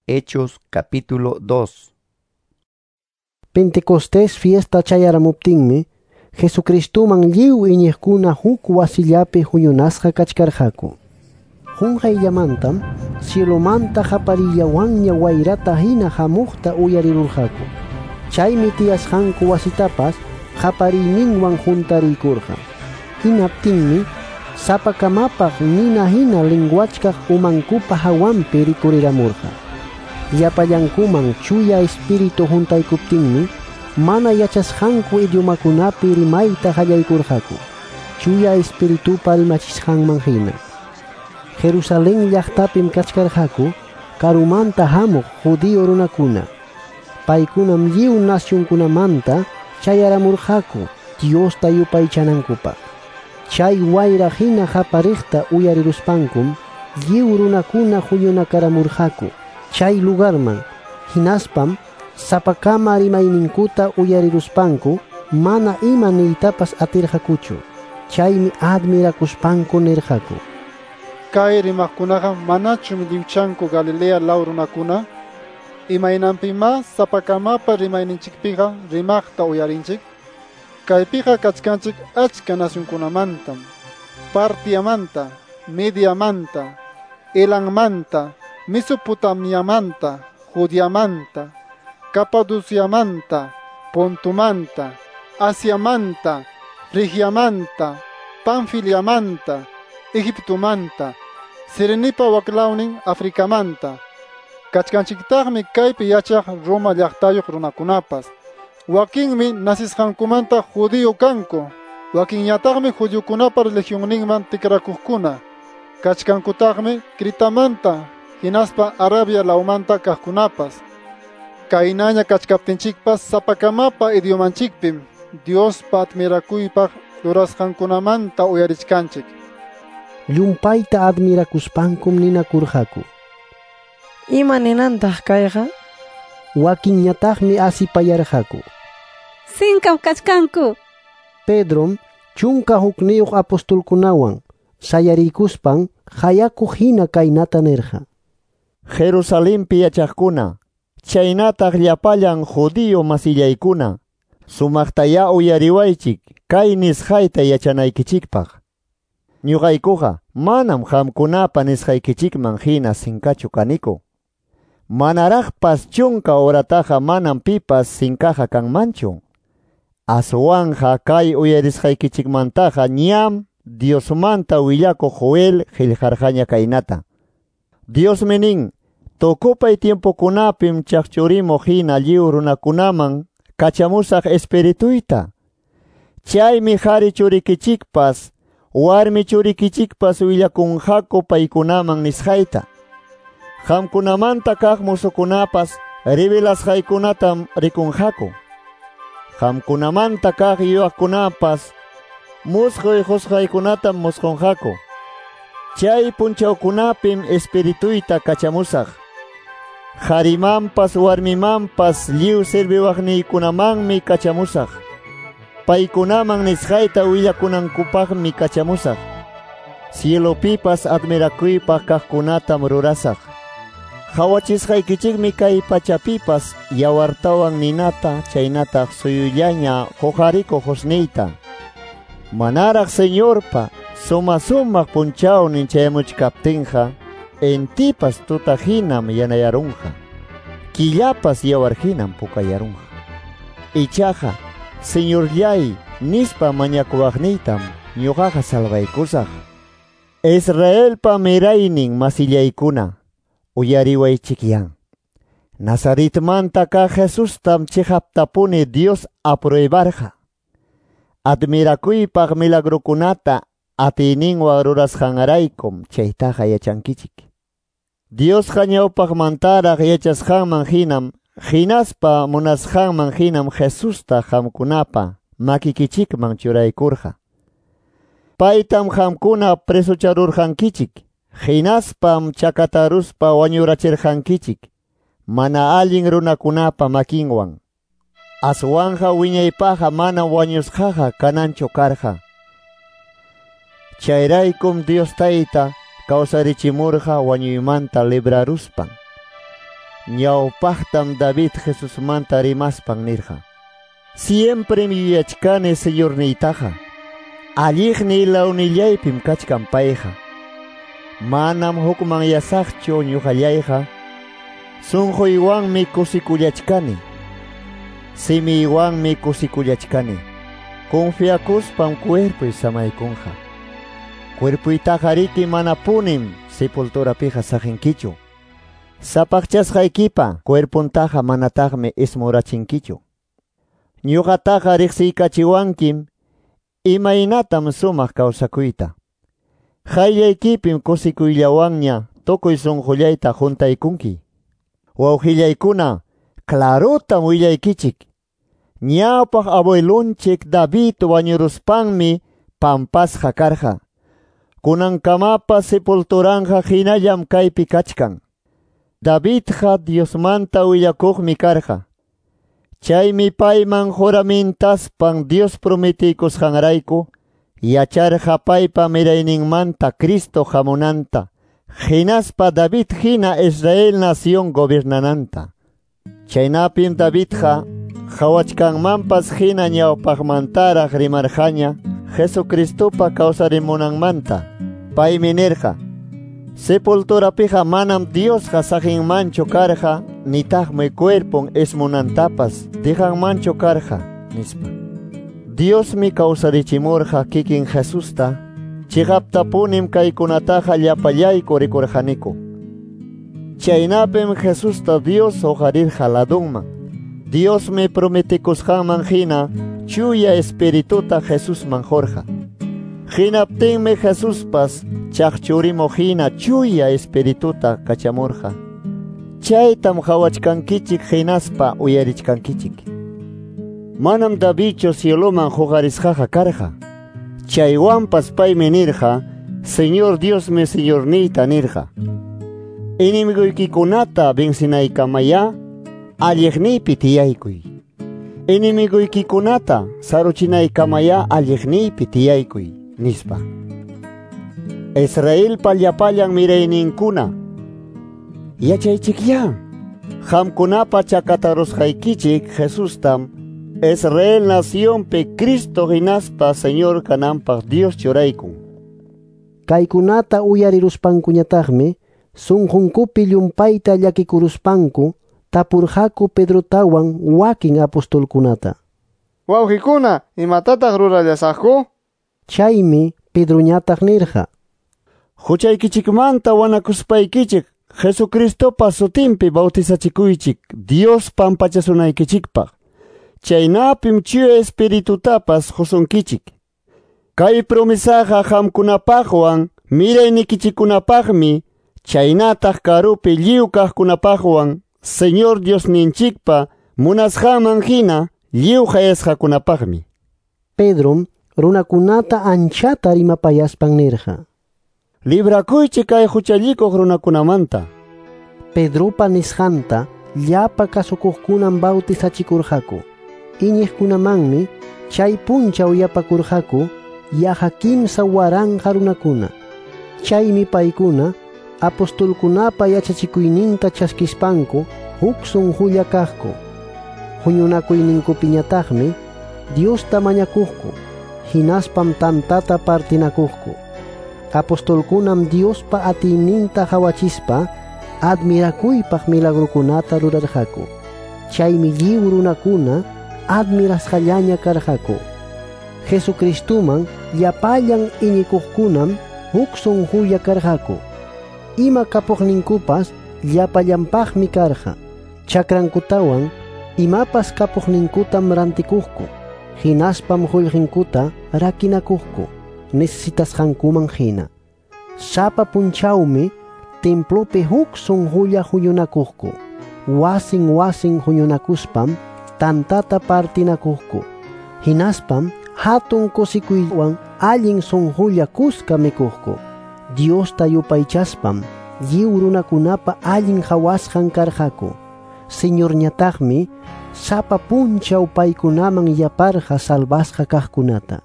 Hechos capítulo 2. Pentecostés fiesta chayaramuptinmi, Jesucristuman lliw iñiqkuna huk wasillapi huñunasqa kachkarqaku. Qunqayllamantam cielomanta qaparillawanña wayrata hina hamuqta uyarirurqaku. Chaymi tiyasqanku wasitapas qapariyninwan juntariykurqa. Hinaptinmi sapakamapaq nina hina linguachkaq umankupa hawanpi rikuriramurqa. Llapallankuman chuya espíritu juntaykuptinmi mana yachasqanku idiomakunapi rimayta qallaykurqaku, chuya espiritupa rimachisqanman hina. Jerusalén llaqtapim kachkarqaku karumanta hamuq judío runakuna. Paykunam lliw nacionkunamanta chayaramurqaku Diosta yupaychanankupaq. Chay wayra hina qapariqta uyariruspankum lliw runakuna huñunakaramurqaku chay lugarman. Hinaspam sapakama rimayninkuta uyariruspanku mana ima niytapas atirqakuchu. Chaymi admirakuspanku nirqaku: Kay rimaqkunaqa manachum lliwchanku Galilea law runakuna? Imaynanpimá sapakamapa rimayninchikpiqa rimaqta uyarinchik? Kaypiqa kachkanchik achka nacionkunamantam: Partiamanta, Mediamanta, Elanmanta, Mesopotamiamanta, Judeamanta, Capadociamanta, Pontumanta, Asiamanta, Frigiamanta, Panfiliamanta, Egiptomanta, Sirenipa waklawnin Africamanta. Kachkanchiktaqmi kaypi yachaq Roma llaqtayuq runakunapas. Wakinmi nasisqankumanta judío kanku, wakinñataqmi judiokunapa religionninman tikrakuqkuna. Kachkankutaqmi Critamanta, hinaspa Arabia lawmanta kaqkunapas. Kaynaña kachkaptinchikpas sapakamapa idiomanchikpim Diospa admirakuypaq rurasqankunamanta uyarichkanchik. Llumpayta admirakuspankum ninakurqaku: Ima ninantaq kayqa? Wakinñataqmi asipayarqaku: Sinkam kachkanku. Pedrom 11 apostolkunawan sayariykuspan hayakuq hina kaynata nirqa: Jerusalenpi yachaqkuna, chaynataq llapallan judío masillaykuna, sumaqtayá uyariwaychik kay nisqayta yachanaykichikpaq. Ñuqaykuqa manam qamkunapa nisqaykichikman hina sinkachu kaniku. Manaraqpas 10 horataqa manam pipas sinkaqa kanmanchu. Aswanja kay uyarisqaykichikmantaqa ñam Diosmanta willakuq Joel qillqarqaña kaynata. Diosmi nin: tukupay tiempokunapim chaqchurimuq hina lliw runakunaman kachamusaq espirituyta. Chaymi qhari churikichikpas, warmi churikichikpas willakunqaku paykunaman nisqayta. Qamkunamanta kaq musukunapas revelasqaykunatam rikunqaku. Qamkunamanta kaq yuyaqkunapas musquy qusqaykunatam musqunqaku. Chay punchawkunapim espirituyta kachamusaq. Qharimanpas warmimanpas lliw serviwaqniykunamanmi kachamusaq. Paykunaman nisqayta willakunankupaqmi kachamusaq. Cielopipas admirakuypaq kaqkunatam rurasaq. Qhawachisqaykichikmi kay pachapipas yawartawan ninata chaynataq suyullaña quqarikuq husniyta. Manaraq Señorpa suma sumaq punchawnin chayamuchkaptinqa, intipas tuta hinam yanayarunqa, killapas yawar hinam pukayarunqa. Ichaqa, Señorllay nispa mañakuwaqniytam ñuqaqa salvaykusaq. Israelpa miraynin masillaykuna, uyariwaychikyan. Nazaretmanta kaq Jesustam chiqaptapuni Dios apruebarqa. Admirakuypaq milagrokunata atiyninwan rurasqanraykum chaytaqa yachankichik. Diosqa ñawpaqmantaraq yachasqanman hinam, hinaspa munasqanman hinam Jesusta qamkunapa makikichikman churaykurqa. Paytam qamkuna presocharurqankichik, hinaspam chakataruspa wañurachirqankichik, mana allin runakunapa makinwan. Aswanja wiñaypaqa mana wañusqaqa kananchu karqa. Chayraykum Dios Tayta kawsarichimurqa wañuymanta libraruspan. Ñawpaqtam David Jesusmanta rimaspan nirqa: Siemprem yuyachkani Señorniytaqa. Alliqniy lawnillaypim kachkan payqa. Manam hukmanyasaqchu ñuqallayqa. Sunquywanmi kusikullachkani. Simiywanmi kusikullachkani. Confiakuspam cuerpuy samaykunqa. Cuerpuytaqa riki manapunim sepulturapiqa saqinkichu. Sapaqchasqaykipa cuerpuntaqa manataqmi ismurachinkichu. Ñuqataqa riqsiykachiwankim imaynatam sumaq kawsakuyta. Qayllaykipim kusikuyllawanña tukuy sunqullayta juntaykunki. Wawqillaykuna, clarotam willaykichik. Ñawpaq abuelunchik David wañuruspanmi pampasqa karqa. Kunankamapas sepulturanqa hinallam kaypi kachkan. Davidqa Diosmanta willakuqmi karqa. Chaymi payman juramintaspan Dios prometiykusqanrayku yacharqa paypa mirayninmanta Cristo hamunanta, hinaspa David hina Israel nación gobernananta. Chaynapim Davidqa qhawachkanmanpas hina ñawpaqmantaraq rimarqaña Jesucristopa kawsarimunanmanta. Paymi nirqa: Sepulturapiqa manam Diosqa saqinmanchu karqa, nitaqmi cuerpon ismunantapas dejanmanchu karqa, nispa. Diosmi kawsarichimurqa kikin Jesusta, chiqaptapunim kaykunataqa llapallayku rikurqaniku. Chaynapim Jesusta Dios huqarirqa ladunman. Diosmi prometikusqanman hina chuya espirituta Jesusman qurqa. Hinaptinmi Jesuspas chaqchurimuq hina chuya espirituta kachamurqa. Chaytam qhawachkankichik hinaspa uyarichkankichik. Manam Davidchu cieloman huqarisqaqa karqa. Chaywanpas paymi nirqa: Señor Diosmi Señorniyta nirqa. Enemiguykikunata vencinaykamayá alliqniypi tiyaykuy. Enemiguykikunata saruchinaykamayá alliqniypi tiyaykuy, nispa. Israelpa llapallan mirayninkuna, yachaychikyá, qamkunapa chakatarusqaykichik Jesustam Israel nacionpi Cristo hinaspa Señor kananpaq Dios churaykun. Kaykunata uyariruspankuñataqmi sunqunkupi llumpayta llakikuruspanku tapurqaku Pedrotawan wakin apostolkunata. Wawqikuna, imatataq rurallasaqku? Chaymi Pedroñataq nirqa: Huchaykichikmanta wanakuspaykichik Jesucristopa sutinpi bautizachikuychik Dios pampachasunaykichikpaq. Chaynapim chuya espiritutapas qusunkichik. Kay promesaqa qamkunapaqwan miraynikichikkunapaqmi, chaynataq karupi lliw kaqkunapaqwan Señor Diosninchikpa munasqanman hina lliw qayasqakunapaqmi. Pedrom runakunata anchata rimapayaspan nirqa: Librakuychik kay huchallikuq runakunamanta. Pedropa nisqanta llapa kasukuqkunam bautizachikurqaku. Iñiqkunamanmi chay punchaw yapakurqaku yaqa 3000 runakuna. Chaymi paykuna apostolkunapa yachachikuyninta chaskispanku huk sunqulla kaqku. Huñunakuyninkupiñataqmi Diosta mañakuqku, hinaspam tantata partinakuqku. Apostolkunam Diospa atiyninta qhawachispa admirakuypaq milagrukunata rurarqaku. Chaymi lliw runakuna admirasqallaña karqaku. Jesucristuman llapallan iñikuqkunam huk sunqulla karqaku. Ima kapuqninkupas llapallanpaqmi karqa. Chakrankutawan imapas kapuqninkutam rantikuqku. Hinaspam qullqinkuta rakinakuqku necesitasqankuman hina. Sapa punchawmi templopi huk sunqulla huñunakuqku. Wasin wasin huñunakuspam tantata partinakuqku. Hinaspam hatun kusikuywan allin sunqulla kuska mikuqku. Diosta yupaychaspam lliw runakunapa allin qhawasqan karqaku. Señorñataqmi sapa punchaw paykunaman yaparqa salvasqa kaqkunata.